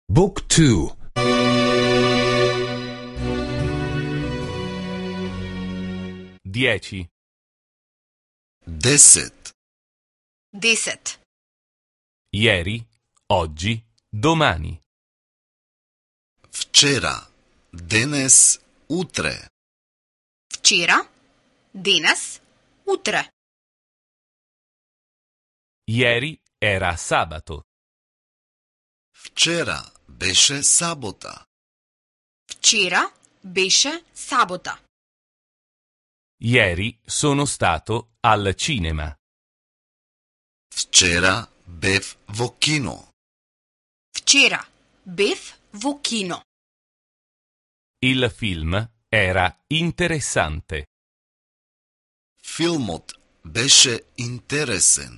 Book 2. 10. 10. 10. Ieri, oggi, domani. Вчера, денес, утре. Вчера, денес, утре. Ieri era sabato. Вчера беше сабота. Вчера беше сабота. Ieri sono stato al cinema. Вчера бев во кино. Вчера бев во кино. Il film era interessante. Филмот беше интересен.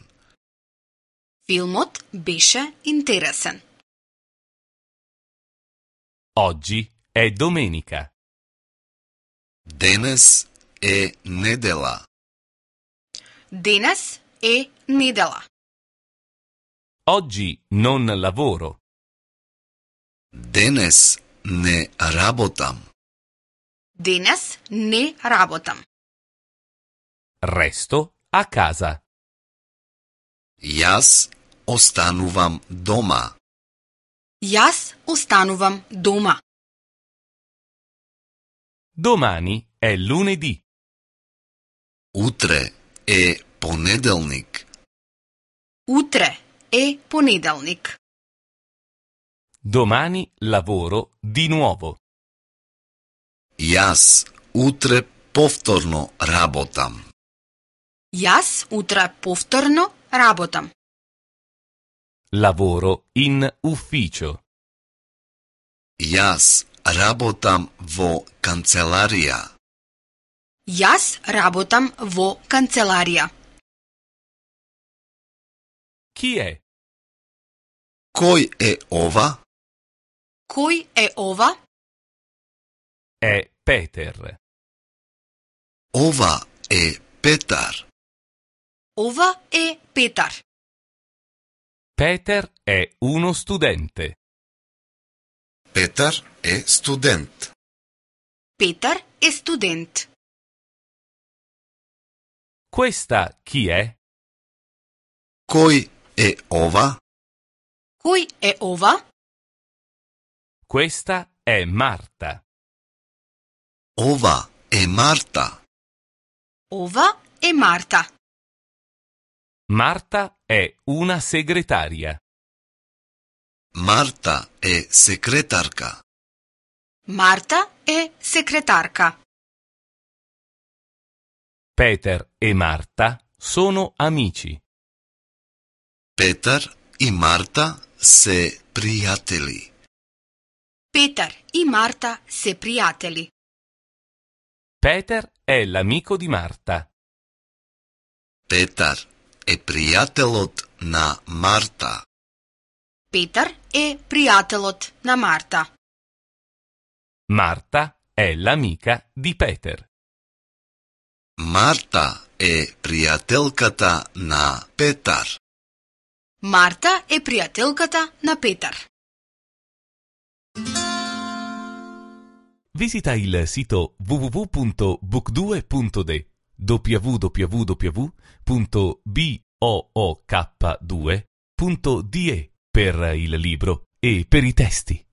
Филмот беше интересен. Oggi è domenica. Денес е недела. Денес е недела. Oggi non lavoro. Денес не работам. Денес не работам. Resto a casa. Јас останувам дома. Јас останувам дома. Domani è lunedì. Утре е понеделник. Утре е понеделник. Domani lavoro di nuovo. Јас утре повторно работам. Јас утре повторно работам. Lavoro in ufficio. Јас работам во канцеларија. Јас работам во канцеларија. Chi è? Кој е ова? Кој е ова? È Peter. Ова е Петар. Ова е Петар. Peter è uno studente. Петар е студент. Петар е студент. Questa chi è? Кој е ова? Кој е ова? Questa è Marta. Ова е Марта. Ова е Марта. Marta è una segretaria. Марта е секретарка. Марта е секретарка. Peter e Marta sono amici. Петар и Марта се пријатели. Петар и Марта се пријатели. Peter è l'amico di Marta. Петар е пријателот на Марта. Петар е пријателот на Марта. Marta è l'amica di Peter. Марта е пријателката на Петар. Марта е пријателката на Петар. Visita il sito www.book2.de www.book2.de per il libro e per i testi.